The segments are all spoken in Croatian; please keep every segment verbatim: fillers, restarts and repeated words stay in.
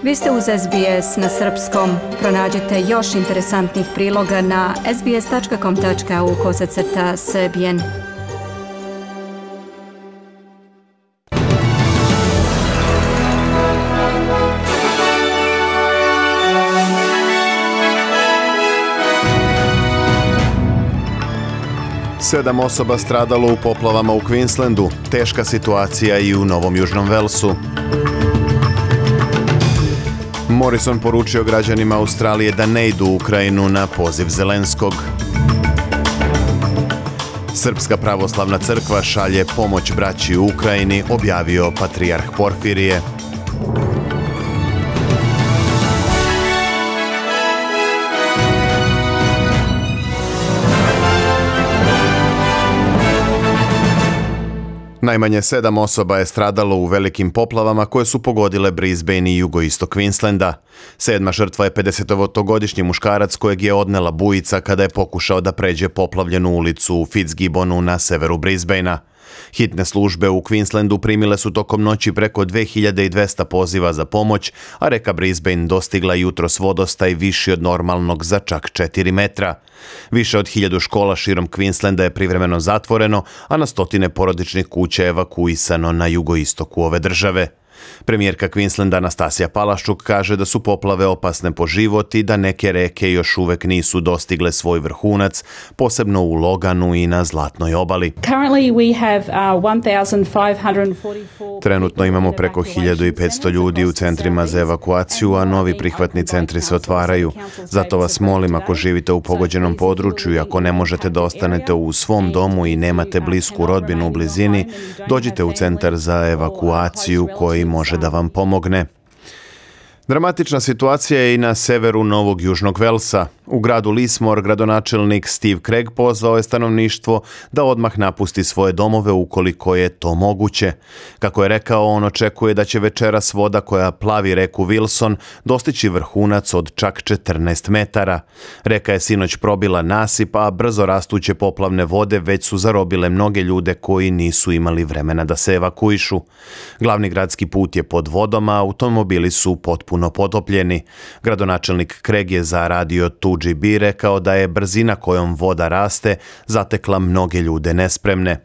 Vi ste uz S B S na srpskom. Pronađite još interesantnih priloga na sbs.com.au kosacrta srbijen. Sedam osoba stradalo u poplavama u Queenslandu, teška situacija i u Novom Južnom Velsu. Morrison poručio građanima Australije da ne idu u Ukrajinu na poziv Zelenskog. Srpska pravoslavna crkva šalje pomoć braći u Ukrajini, objavio patrijarh Porfirije. Najmanje sedam osoba je stradalo u velikim poplavama koje su pogodile Brisbane i jugoistok Queenslanda. Sedma žrtva je pedesetogodišnji muškarac kojeg je odnela bujica kada je pokušao da pređe poplavljenu ulicu u Fitzgibbonu na severu Brisbanea. Hitne službe u Queenslandu primile su tokom noći preko dve hiljade dvesta poziva za pomoć, a reka Brisbane dostigla jutros vodostaj viši od normalnog za čak četiri metra. Više od hiljadu škola širom Queenslanda je privremeno zatvoreno, a na stotine porodičnih kuća je evakuisano na jugoistoku ove države. Premijerka Queenslanda Anastasija Palaščuk kaže da su poplave opasne po život i da neke reke još uvek nisu dostigle svoj vrhunac, posebno u Loganu i na Zlatnoj obali. Trenutno imamo preko hiljadu petsto ljudi u centrima za evakuaciju, a novi prihvatni centri se otvaraju. Zato vas molim, ako živite u pogođenom području i ako ne možete da ostanete u svom domu i nemate blisku rodbinu u blizini, dođite u centar za evakuaciju koji može da vam pomogne. Dramatična situacija je i na severu Novog Južnog Velsa. U gradu Lismore gradonačelnik Steve Craig pozvao je stanovništvo da odmah napusti svoje domove ukoliko je to moguće. Kako je rekao, on očekuje da će večeras voda koja plavi reku Wilson dostići vrhunac od čak četrnaest metara. Reka je sinoć probila nasip, a brzo rastuće poplavne vode već su zarobile mnoge ljude koji nisu imali vremena da se evakuišu. Glavni gradski put je pod vodom, a automobili su potpuno potopljeni. Gradonačelnik Craig je za radio two G B rekao da je brzina kojom voda raste zatekla mnoge ljude nespremne.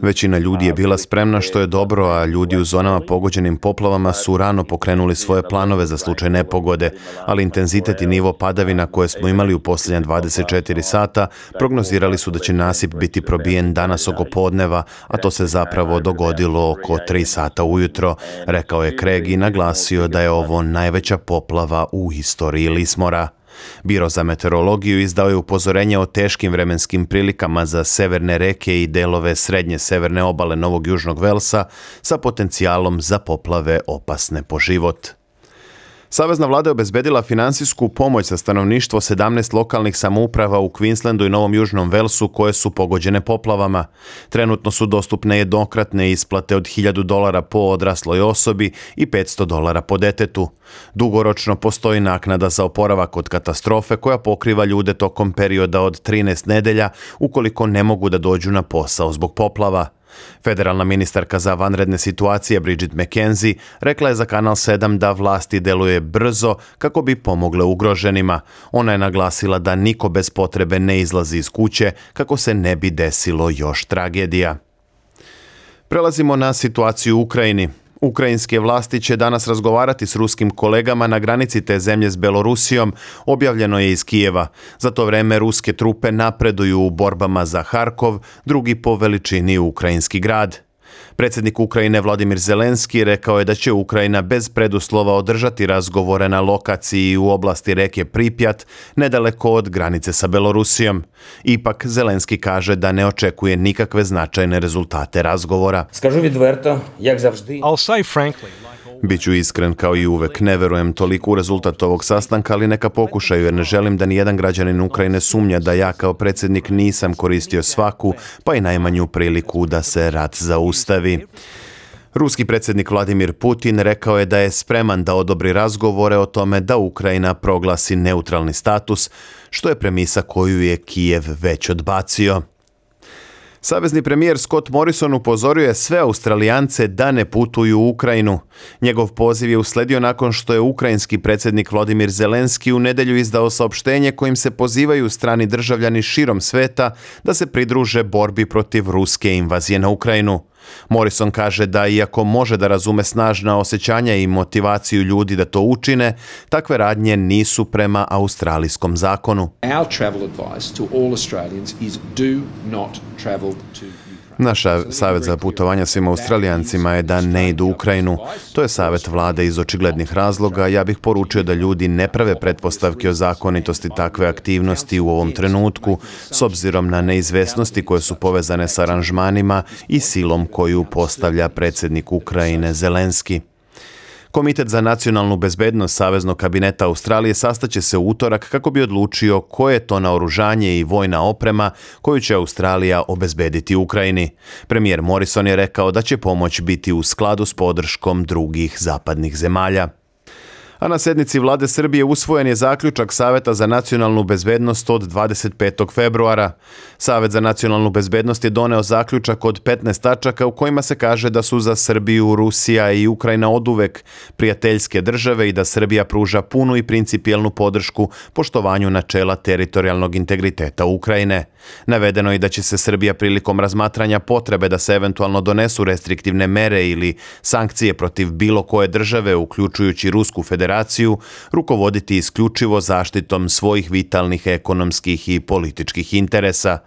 Većina ljudi je bila spremna, što je dobro, a ljudi u zonama pogođenim poplavama su rano pokrenuli svoje planove za slučaj nepogode, ali intenzitet i nivo padavina koje smo imali u posljednja dvadeset četiri sata prognozirali su da će nasip biti probijen danas oko podneva, a to se zapravo dogodilo oko tri sata ujutro, rekao je Craig i naglasio da je ovo najveća poplava u istoriji Lismora. Biro za meteorologiju izdao je upozorenje o teškim vremenskim prilikama za severne reke i delove srednje severne obale Novog Južnog Velsa sa potencijalom za poplave opasne po život. Savezna vlada je obezbedila finansijsku pomoć za stanovništvo sedamnaest lokalnih samouprava u Queenslandu i Novom Južnom Velsu koje su pogođene poplavama. Trenutno su dostupne jednokratne isplate od hiljadu dolara po odrasloj osobi i petsto dolara po detetu. Dugoročno postoji naknada za oporavak od katastrofe koja pokriva ljude tokom perioda od trinaest nedelja ukoliko ne mogu da dođu na posao zbog poplava. Federalna ministarka za vanredne situacije Bridget McKenzie rekla je za Kanal sedam da vlasti deluje brzo kako bi pomogle ugroženima. Ona je naglasila da niko bez potrebe ne izlazi iz kuće kako se ne bi desilo još tragedija. Prelazimo na situaciju u Ukrajini. Ukrajinske vlasti će danas razgovarati s ruskim kolegama na granici te zemlje s Belorusijom, objavljeno je iz Kijeva. Za to vreme ruske trupe napreduju u borbama za Harkov, drugi po veličini ukrajinski grad. Predsjednik Ukrajine Vladimir Zelenski rekao je da će Ukrajina bez preduslova održati razgovore na lokaciji u oblasti reke Pripjat, nedaleko od granice sa Belorusijom. Ipak Zelenski kaže da ne očekuje nikakve značajne rezultate razgovora. Скажу відверто, як завжди. I'll say frankly, Biću iskren kao i uvek, ne verujem toliko u rezultat ovog sastanka, ali neka pokušaju jer ne želim da nijedan građanin Ukrajine sumnja da ja kao predsjednik nisam koristio svaku, pa i najmanju priliku da se rat zaustavi. Ruski predsjednik Vladimir Putin rekao je da je spreman da odobri razgovore o tome da Ukrajina proglasi neutralni status, što je premisa koju je Kijev već odbacio. Savezni premijer Scott Morrison upozorio je sve Australijance da ne putuju u Ukrajinu. Njegov poziv je usledio nakon što je ukrajinski predsjednik Volodymyr Zelenski u nedjelju izdao saopštenje kojim se pozivaju strani državljani širom sveta da se pridruže borbi protiv ruske invazije na Ukrajinu. Morrison kaže da iako može da razume snažna osjećanja i motivaciju ljudi da to učine, takve radnje nisu prema australijskom zakonu. Our travel advice to all Australians is do not travel to Naša savjet za putovanja svim Australijancima je da ne idu u Ukrajinu. To je savjet vlade iz očiglednih razloga. Ja bih poručio da ljudi ne prave pretpostavke o zakonitosti takve aktivnosti u ovom trenutku, s obzirom na neizvesnosti koje su povezane s aranžmanima i silom koju postavlja predsjednik Ukrajine Zelenski. Komitet za nacionalnu bezbednost Saveznog kabineta Australije sastaće se u utorak kako bi odlučio koje je to naoružanje i vojna oprema koju će Australija obezbediti Ukrajini. Premijer Morrison je rekao da će pomoć biti u skladu s podrškom drugih zapadnih zemalja. A na sjednici vlade Srbije usvojen je zaključak Saveta za nacionalnu bezbednost od dvadeset petog februara. Savet za nacionalnu bezbednost je doneo zaključak od petnaest tačaka u kojima se kaže da su za Srbiju, Rusija i Ukrajina oduvek prijateljske države i da Srbija pruža punu i principijelnu podršku poštovanju načela teritorijalnog integriteta Ukrajine. Navedeno je da će se Srbija prilikom razmatranja potrebe da se eventualno donesu restriktivne mere ili sankcije protiv bilo koje države, uključujući Rusku federaciju, rukovoditi isključivo zaštitom svojih vitalnih ekonomskih i političkih interesa.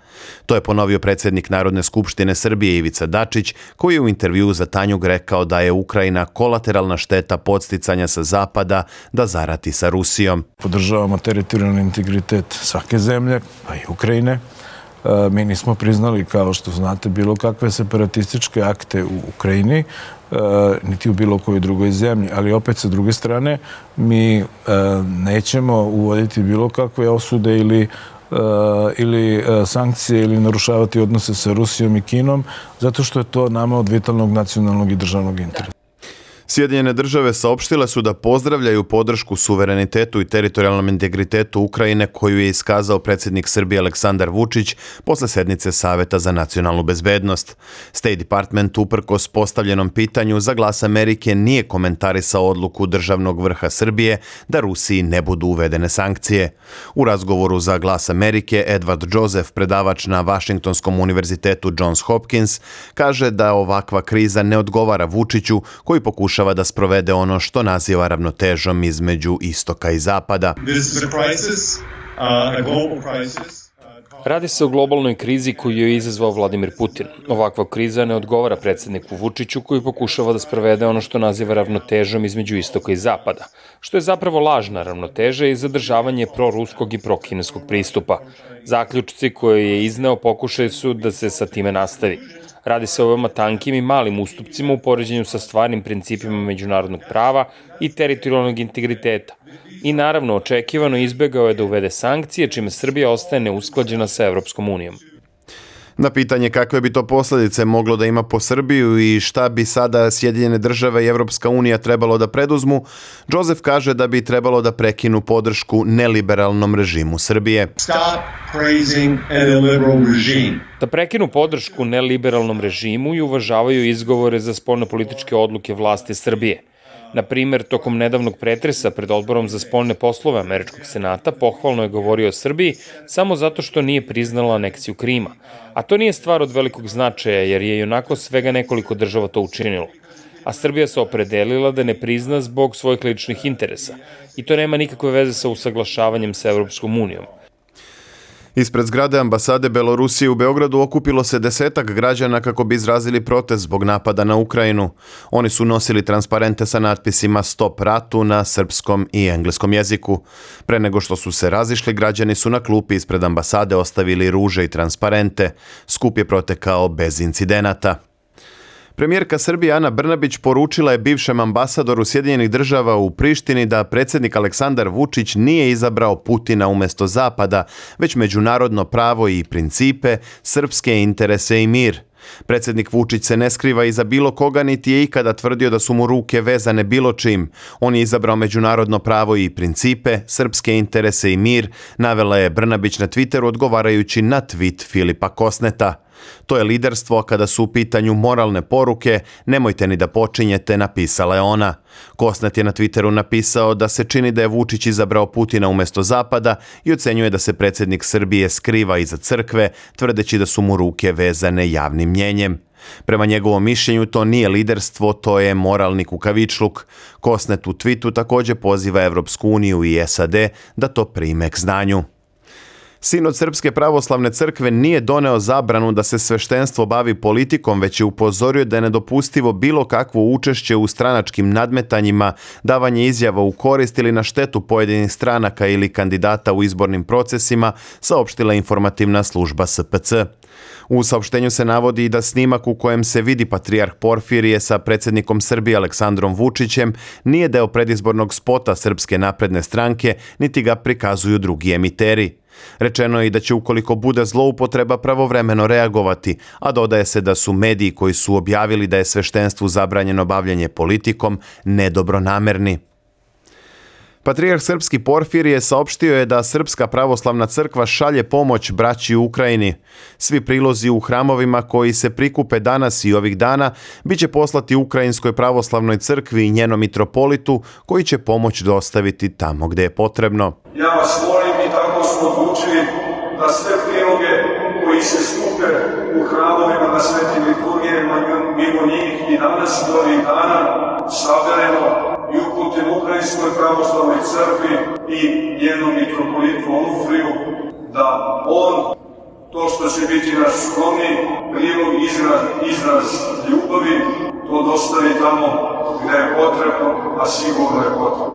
To je ponovio predsjednik Narodne skupštine Srbije Ivica Dačić, koji je u intervjuu za Tanjug rekao da je Ukrajina kolateralna šteta podsticanja sa zapada da zarati sa Rusijom. Podržavamo teritorijalni integritet svake zemlje, pa i Ukrajine. Mi nismo priznali, kao što znate, bilo kakve separatističke akte u Ukrajini, niti u bilo kojoj drugoj zemlji. Ali opet, sa druge strane, mi nećemo uvoditi bilo kakve osude ili ili sankcije ili narušavati odnose sa Rusijom i Kinom, zato što je to nama od vitalnog nacionalnog i državnog interesa. Sjedinjene države saopštile su da pozdravljaju podršku suverenitetu i teritorijalnom integritetu Ukrajine koju je iskazao predsjednik Srbije Aleksandar Vučić posle sednice Saveta za nacionalnu bezbednost. State Department uprkos postavljenom pitanju za Glas Amerike nije komentarisao odluku državnog vrha Srbije da Rusiji ne budu uvedene sankcije. U razgovoru za Glas Amerike Edward Joseph, predavač na Vašingtonskom univerzitetu Johns Hopkins, kaže da ovakva kriza ne odgovara Vučiću koji pokušava da sprovede ono što naziva ravnotežom između istoka i zapada. Radi se o globalnoj krizi koju je izazvao Vladimir Putin. Ovakva kriza ne odgovara predsjedniku Vučiću koji pokušava da sprovede ono što naziva ravnotežom između istoka i zapada, što je zapravo lažna ravnoteža i zadržavanje proruskog i prokineskog pristupa. Zaključci koje je izneo pokušaj su da se sa time nastavi. Radi se o veoma tankim i malim ustupcima u poređenju sa stvarnim principima međunarodnog prava i teritorijalnog integriteta. I naravno, očekivano izbegao je da uvede sankcije, čime Srbija ostaje neusklađena sa Evropskom unijom. Na pitanje kakve bi to posljedice moglo da ima po Srbiju i šta bi sada Sjedinjene države i Evropska unija trebalo da preduzmu, Joseph kaže da bi trebalo da prekinu podršku neliberalnom režimu Srbije. Da prekinu podršku neliberalnom režimu i uvažavaju izgovore za spoljnopolitičke odluke vlasti Srbije. Na primjer, tokom nedavnog pretresa pred odborom za spoljne poslove Američkog senata pohvalno je govorio o Srbiji samo zato što nije priznala aneksiju Krima. A to nije stvar od velikog značaja jer je i onako svega nekoliko država to učinilo. A Srbija se opredelila da ne prizna zbog svojih ličnih interesa. I to nema nikakve veze sa usaglašavanjem sa Evropskom unijom. Ispred zgrade ambasade Belorusije u Beogradu okupilo se desetak građana kako bi izrazili protest zbog napada na Ukrajinu. Oni su nosili transparente sa natpisima Stop ratu na srpskom i engleskom jeziku. Pre nego što su se razišli, građani su na klupi ispred ambasade ostavili ruže i transparente. Skup je protekao bez incidenata. Premijerka Srbije Ana Brnabić poručila je bivšem ambasadoru Sjedinjenih država u Prištini da predsjednik Aleksandar Vučić nije izabrao Putina umjesto Zapada, već međunarodno pravo i principe, srpske interese i mir. Predsjednik Vučić se ne skriva iza bilo koga niti je ikada tvrdio da su mu ruke vezane bilo čim. On je izabrao međunarodno pravo i principe, srpske interese i mir, navela je Brnabić na Twitteru odgovarajući na tweet Filipa Kosneta. To je liderstvo, a kada su u pitanju moralne poruke, nemojte ni da počinjete, napisala je ona. Kosnet je na Twitteru napisao da se čini da je Vučić izabrao Putina umjesto Zapada i ocenjuje da se predsjednik Srbije skriva iza crkve, tvrdeći da su mu ruke vezane javnim mnjenjem. Prema njegovom mišljenju to nije liderstvo, to je moralni kukavičluk. Kosnet u tweetu također poziva Evropsku uniju i S A D da to prime k znanju. Sinod Srpske pravoslavne crkve nije doneo zabranu da se sveštenstvo bavi politikom, već je upozorio da je nedopustivo bilo kakvo učešće u stranačkim nadmetanjima, davanje izjava u korist ili na štetu pojedinih stranaka ili kandidata u izbornim procesima, saopštila informativna služba S P C. U saopštenju se navodi da snimak u kojem se vidi patrijarh Porfirije sa predsjednikom Srbije Aleksandrom Vučićem nije deo predizbornog spota Srpske napredne stranke, niti ga prikazuju drugi emiteri. Rečeno je i da će ukoliko bude zloupotreba pravovremeno reagovati, a dodaje se da su mediji koji su objavili da je sveštenstvu zabranjeno bavljenje politikom nedobronamerni. Patrijarh srpski Porfirije saopštio je da Srpska pravoslavna crkva šalje pomoć braći u Ukrajini. Svi prilozi u hramovima koji se prikupe danas i ovih dana bit će poslati Ukrajinskoj pravoslavnoj crkvi i njenom mitropolitu koji će pomoć dostaviti tamo gdje je potrebno. Ja vas molim i tako smo odlučili da sve priloge koji se skupe u hramovima na svetim liturgijama mimo njih i danas i ovih dana saberemo i uputim Ukrajinskoj pravoslavnoj crkvi i njenom mitropolitu Onufriju da on, to što će biti naš skromni prilog, izraz, izraz ljubavi, to dostavi tamo gdje je potrebno, a sigurno je potrebno.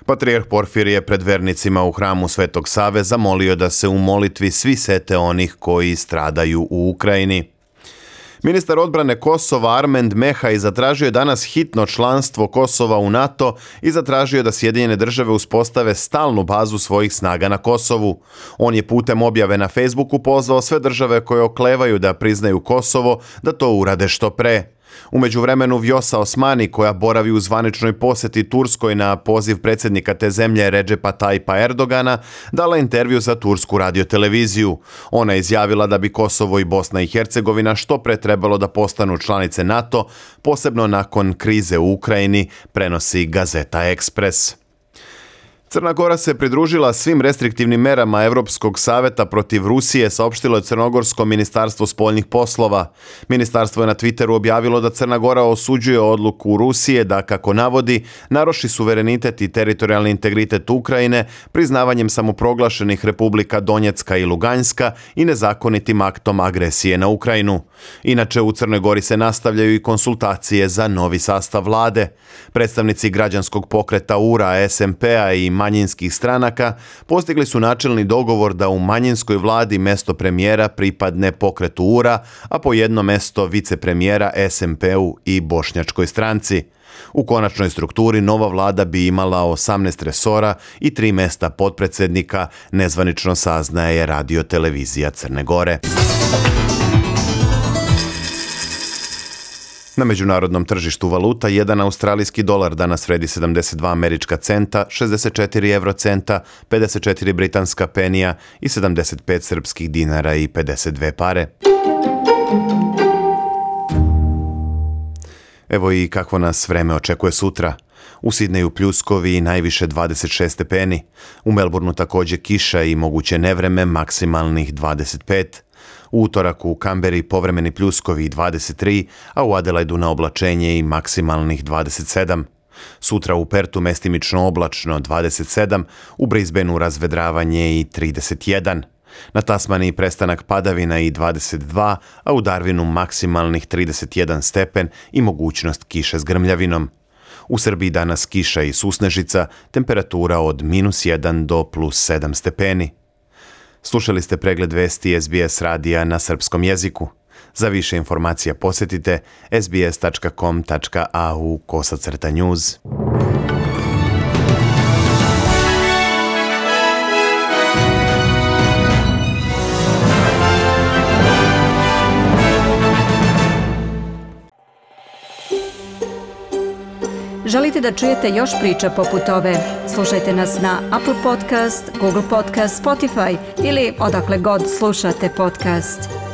Patrijarh Porfirije pred vernicima u hramu Svetog Save zamolio da se u molitvi svi sete onih koji stradaju u Ukrajini. Ministar odbrane Kosova Armend Mehaj zatražio je danas hitno članstvo Kosova u NATO i zatražio da Sjedinjene države uspostave stalnu bazu svojih snaga na Kosovu. On je putem objave na Facebooku pozvao sve države koje oklevaju da priznaju Kosovo da to urade što pre. U međuvremenu Vjosa Osmani, koja boravi u zvaničnoj posjeti Turskoj na poziv predsjednika te zemlje Redžepa Tajpa Erdogana, dala intervju za tursku radioteleviziju. Ona je izjavila da bi Kosovo i Bosna i Hercegovina što pre trebalo da postanu članice NATO, posebno nakon krize u Ukrajini, prenosi Gazeta Ekspres. Crna Gora se pridružila svim restriktivnim merama Evropskog saveta protiv Rusije, saopštilo je Crnogorsko ministarstvo spoljnih poslova. Ministarstvo je na Twitteru objavilo da Crna Gora osuđuje odluku Rusije da, kako navodi, naruši suverenitet i teritorijalni integritet Ukrajine priznavanjem samoproglašenih republika Donjecka i Luganjska i nezakonitim aktom agresije na Ukrajinu. Inače, u Crnoj Gori se nastavljaju i konsultacije za novi sastav vlade. Predstavnici građanskog pokreta U R A, S M P-a i manjinskih stranaka postigli su načelni dogovor da u manjinskoj vladi mesto premijera pripadne pokretu U R A, a po jedno mesto vicepremijera S M P-u i Bošnjačkoj stranci. U konačnoj strukturi nova vlada bi imala osamnaest resora i tri mesta potpredsjednika, nezvanično saznaje radiotelevizija Crne Gore. Na međunarodnom tržištu valuta jedan australijski dolar danas vredi sedamdeset dva američka centa, šezdeset četiri evrocenta, pedeset četiri britanska penija i sedamdeset pet srpskih dinara i pedeset dve pare. Evo i kakvo nas vreme očekuje sutra. U Sidneju pljuskovi i najviše dvadeset šest stepeni. U Melbourneu također kiša i moguće nevreme, maksimalnih dvadeset pet. U utorak u Kamberi povremeni pljuskovi i dvadeset tri, a u Adelaidu na oblačenje i maksimalnih dvadeset sedam. Sutra u Pertu mestimično oblačno dvadeset sedam, u Brisbaneu razvedravanje i trideset jedan. Na Tasmaniji prestanak padavina i dvadeset dva, a u Darwinu maksimalnih trideset jedan stepen i mogućnost kiše s grmljavinom. U Srbiji danas kiša i susnežica, temperatura od minus jedan do plus sedam stepeni. Slušali ste pregled vesti S B S radija na srpskom jeziku. Za više informacija posjetite s b s tačka com tačka a u kosacrta news. Želite da čujete još priča poput ove? Slušajte nas na Apple Podcast, Google Podcast, Spotify ili odakle god slušate podcast.